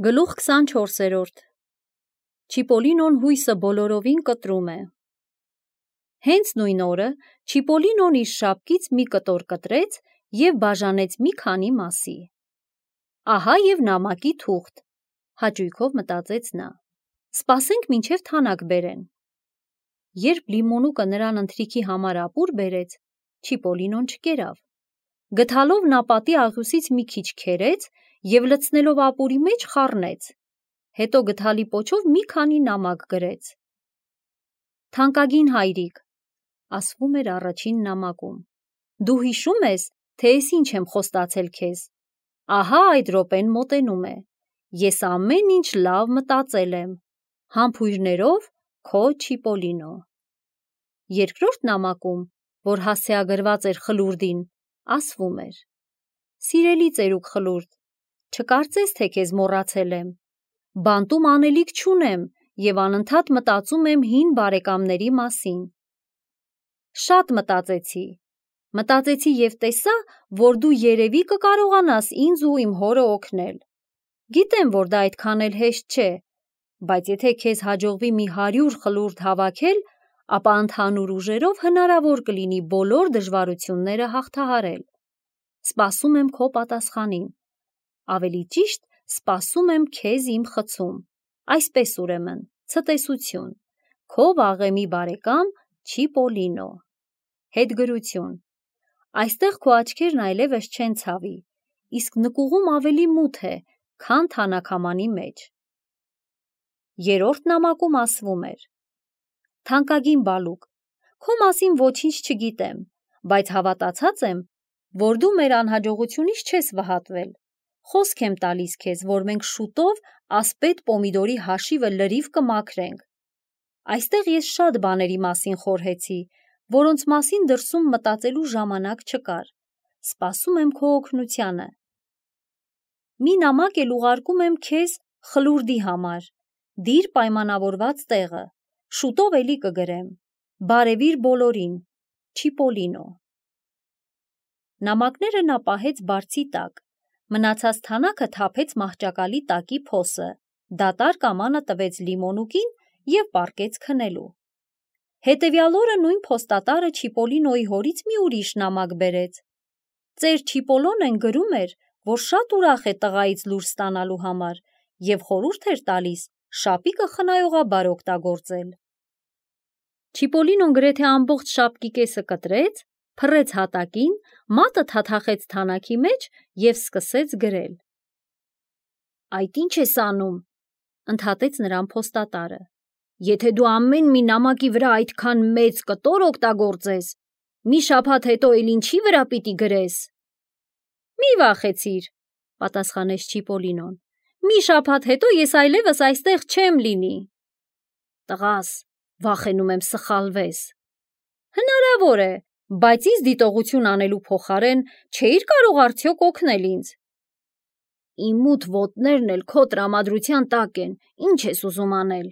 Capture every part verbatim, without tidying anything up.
Գլուխ քսանչորսերորդ Չիպոլինոն հույսը բոլորովին կտրում է։ Հենց նույն օրը Չիպոլինոն իր շապկից մի կտոր կտրեց և բաժանեց մի քանի մասի։ Ահա և նամակի թուղթ, հաճույքով մտածեց նա։ Սպասենք մինչև թանակ բերեն։ Երբ Լիմոնուկը նրան ընթրիքի համար ապուր բերեց, Չիպոլինոն չկերավ։ Գթալով նա պատի աղյուսից մի քիչ քերեց և լցնելով ապուրի մեջ խառնեց, հետո գդալի պոչով մի քանի նամակ գրեց։ «Թանկագին հայրիկ», ասվում էր առաջին նամակում, «դու հիշում ես, թե ես ինչ եմ խոստացել քեզ։ Ահա այդ րոպեն մոտենում է։ Ես ամեն ինչ լավ մտածել եմ։ Համբույրներով քո Չիպոլինո»։ Երկրորդ նամակում, որ հասցեագրված էր խլուրդին, ասվում էր. «Սիրելի ծերուկ խլուրդ, չկարծես, թե քեզ մոռացել եմ։ Բանտում անելիք չունեմ և անընդհատ մտածում եմ հին բարեկամների մասին։ Շատ մտածեցի, մտածեցի և տեսա, որ դու երևի կկարողանաս ինձ ու իմ հորը օգնել։ Գիտեմ, որ դա այդքան էլ հեշտ չէ, բայց եթե քեզ հաջողվի մի հարյուր խլուրդ հավաքել, ապա ընդհանուր ուժերով հնարավոր կլինի բոլոր դժվարությունները հաղթահարել։ Սպասում եմ քո պատասխանին։ Ավելի ճիշտ, սպասում եմ քեզ իմ խցում։ Այսպես ուրեմն, ցտեսություն, քո վաղեմի բարեկամ Չիպոլինո։ Հետգրություն. Այստեղ քո աչքերն այլևս չեն ցավի, իսկ նկուղում ավելի մութ է, քան թանաքամանի մեջ։ Երրորդ նամակում ասվում էր. «Թանկագին բալուկ, քո մասին ոչինչ չգիտեմ, բայց հավատացած եմ, որ դու մեր անհաջողությունից չես վհատվել։ Խոսք եմ տալիս քեզ, որ մենք շուտով ասպետ պոմիդորի հաշիվը լրիվ կմաքրենք։ Այստեղ ես շատ բաների մասին խորհեցի, որոնց մասին դրսում մտածելու ժամանակ չկար։ Սպասում եմ քո օգնությանը։ Մի նամակ էլ ուղարկում եմ քեզ խլուրդի համար։ Դիր պայմանավորված տեղը։ Շուտով էլի կգրեմ։ Բարևիր բոլորին։ Չիպոլինո»։ Նամակները նա պահեց բարձի տակ, մնացած թանակը թափեց մահճակալի տակի փոսը, դատարկ ամանը տվեց Լիմոնուկին և պառկեց քնելու։ Հետևյալ օրը նույն փոստատարը Չիպոլինոյի հորից մի ուրիշ նամակ բերեց։ Ծեր Չիպոլոնեն գրում էր, որ շատ ուրախ է տղայից լուր ստանալու համար և խորհուրդ էր տալիս շապիկը խնայողաբար օգտագործել։ Չիպոլինոն գրեթե ամբողջ շապկի կեսը կտրեց, փռեց հատակին, մատը թաթախեց թանակի մեջ և սկսեց գրել։ «Այդ ի՞նչ ես անում», ընդհատեց նրան փոստատարը։ «Եթե դու ամեն մի նամակի վրա այդքան մեծ կտոր օգտագործես, մի շաբաթ հետո էլ ինչի վրա պիտի գրես»։ «Մի վախեցիր», պատասխանեց Չիպոլինոն, «մի շաբաթ հետո ես այլևս այստեղ չեմ լինի»։ «Տղաս, վախենում եմ սխալվես»։ «Հնարավոր է, բայց ինձ դիտողություն անելու փոխարեն չէիր կարող արդյոք օգնել ինձ»։ «Իմ մութ ոտներն էլ քո տրամադրության տակ են, ինչ ես ուզում անել»։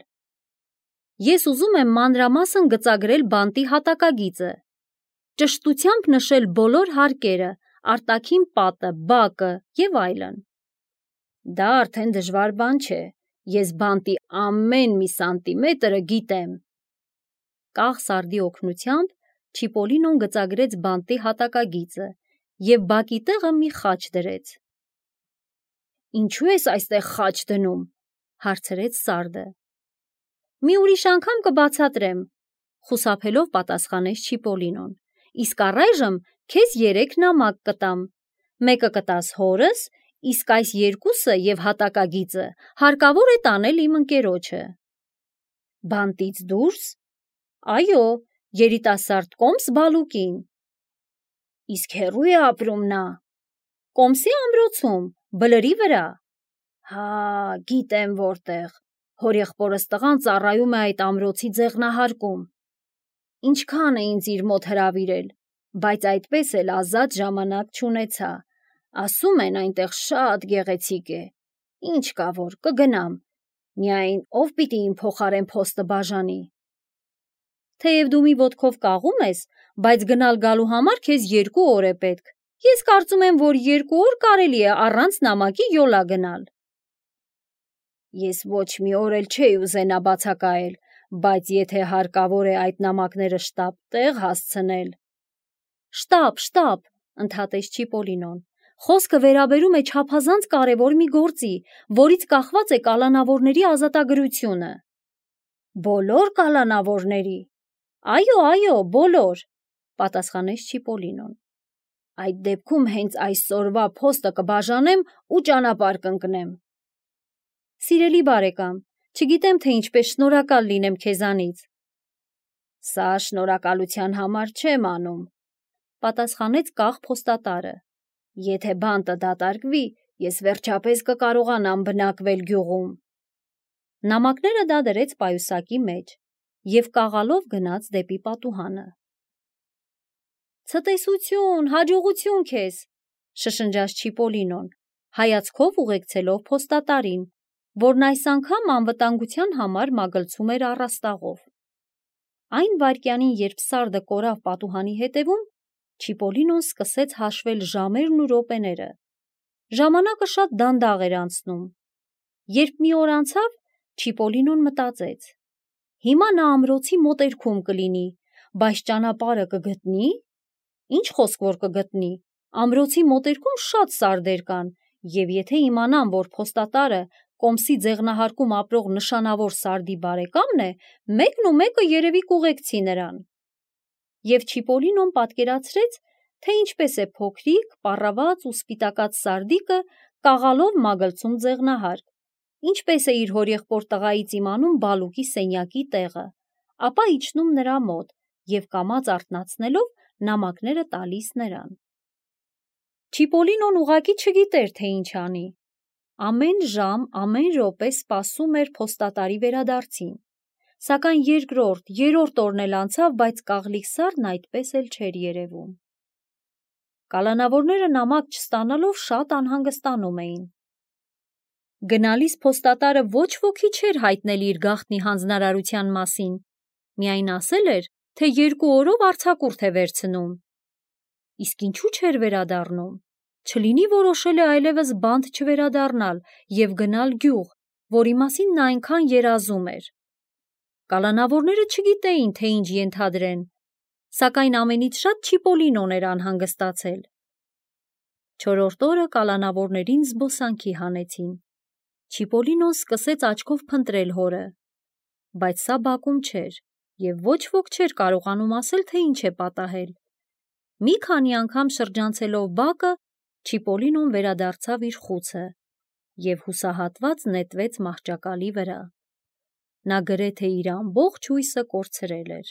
«Ես ուզում եմ մանրամասն գծագրել բանտի հատակագիծը, ճշտությամբ նշել բոլոր հարկերը, արտաքին պատը, բակը և այլն»։ «Դա արդեն դժվար բան չէ, ես բանտի ամեն մի սանտիմետրը գիտեմ»։ Կաղ սարդի օգնությամբ Չիպոլինոն գծագրեց բանտի հատակագիծը և բակի տեղը մի խաչ դրեց։ «Ինչու ես այստեղ խաչ դնում», հարցրեց սարդը։ «Մի ուրիշ անգամ կբացատրեմ», խուսափելով պատասխանեց Չիպոլինոն, «իսկ առայժմ քեզ երեք նամակ կտամ։ Մեկը կտաս հորս, իսկ այս երկուսը և հատակագիծը հարկավոր է տանել իմ ընկերոջը»։ «Բանտից դուրս»։ «Այո, երիտասարդ կոմս բալուկին»։ «Իսկ հեռո՞ւ է ապրում նա»։ «Կոմսի ամրոցում, բլրի վրա»։ «Հա, գիտեմ որտեղ, հորեղբորս տղան ծառայում է այդ ամրոցի ձեղնահարկում։ Ինչքան է ինձ իր մոտ հրավիրել, բայց այդպես էլ ազատ ժամանակ չունեցա։ Ասում են այնտեղ շատ գեղեցիկ է։ Ինչ կա որ, կգնամ, միայն ով պիտի իմ փոխարեն փոստը բաժանի»։ «Թեև դու մի ոտքով կաղում ես, բայց գնալ գալու համար քեզ երկու օր է պետք։ Ես կարծում եմ, որ երկու օր կարելի է առանց նամակի յոլա գնալ»։ Ես ոչ մի օր էլ չէի ուզենա բացակայել, բայց եթե հարկավոր է այդ նամակները շտապ տեղ հասցնել… Շտապ, շտապ, ընդհատեց Չիպոլինոն, խոսքը վերաբերում է չափազանց կարևոր մի գործի, որից կախված է կալանավորների ազատագրությունը։ Բոլոր կալանավորների… Այո, այո, բոլոր, պատասխանեց Չիպոլինոն։ Այդ դեպքում հենց այսօրվա փոստը կբաժանեմ ու ճանապարհ կընկնեմ։ Սիրելի բարեկամ, չգիտեմ, թե ինչպես շնորհակալ լինեմ քեզանից։ Սա շնորհակալության համար չեմ անում, պատասխանեց կախ փոստատարը։ Եթե բանտը դատարկվի, ես վերջապես կկարողանամ բնակվել գյուղում։ Նամակները դա դրեց պայուսակի մեջ և կաղալով գնաց դեպի պատուհանը։ Ցտեսություն, հաջողություն քեզ, շշնջաց Չիպոլինոն, հայացքով ուղեկցելով փոստատարին, որն այս անգամ անվտանգության համար մագլցում էր առաստաղով։ Այն վայրկյանին, երբ սարդը կորավ պատուհանի հետևում, Չիպոլինոն սկսեց հաշվել ժամերն ու րոպեները։ Ժամանակը շատ դանդաղ էր անցնում։ Երբ մի օր անցավ, Չիպոլինոն մտածեց. հիմա նա ամրոցի մոտերքում կլինի, բայց ճանապարհը կգտնի՞։ Ինչ խոսք որ կգտնի, ամրոցի մոտերքում շատ սարդեր կան, և եթե իմանամ, որ փոստատարը Կոմսի ձեղնահարկում ապրող նշանավոր սարդի բարեկամն է, մեկն ու մեկը երևի կուղեկցի նրան։ Եվ Չիպոլինոն պատկերացրեց, թե ինչպես է փոքրիկ, պառաված ու սպիտակած սարդիկը կաղալով մագլցում ձեղնահարկ, ինչպես է իր հորեղբոր տղայից իմանում Բալուկի սենյակի տեղը, ապա իջնում նրա մոտ և կամաց արթնացնելով նամակները տալիս նրան։ Չիպոլինոն ուղղակի չգիտեր, թե ինչ անի։ Ամեն ժամ, ամեն րոպե սպասում էր փոստատարի վերադարձին, սակայն երկրորդ, երրորդ օրն էլ անցավ, բայց կաղլիկ սարդն այդպես էլ չէր երևում։ Կալանավորները նամակ չստանալով շատ անհանգստանում էին։ Գնալիս փոստատարը ոչ ոքի չէր հայտնել իր գաղտնի հանձնարարության մասին, միայն ասել էր, թե երկու օրով արձակուրդ է վերցնում։ Իսկ ինչու չէր վերադառնում։ Չլինի որոշել է այլևս բանտ չվերադառնալ և գնալ գյուղ, որի մասին նա այնքան երազում էր։ Կալանավորները չգիտեին, թե ինչ ենթադրեն, սակայն ամենից շատ Չիպոլինոն էր անհանգստացել։ Չորրորդ օրը կալանավորներին զբոսանքի հանեցին։ Չիպոլինոն սկսեց աչքով փնտրել հորը, բայց սա բակում չէր, և ոչ ոք չէր կարողանում ասել, թե ինչ է պատահել։ Մի քանի անգամ շրջանցելով բակը, Չիպոլինոն վերադարձավ իր խուցը և հուսահատված նետվեց մահճակալի վրա։ Նա գրեթե իր ամբողջ հույսը կորցրել էր։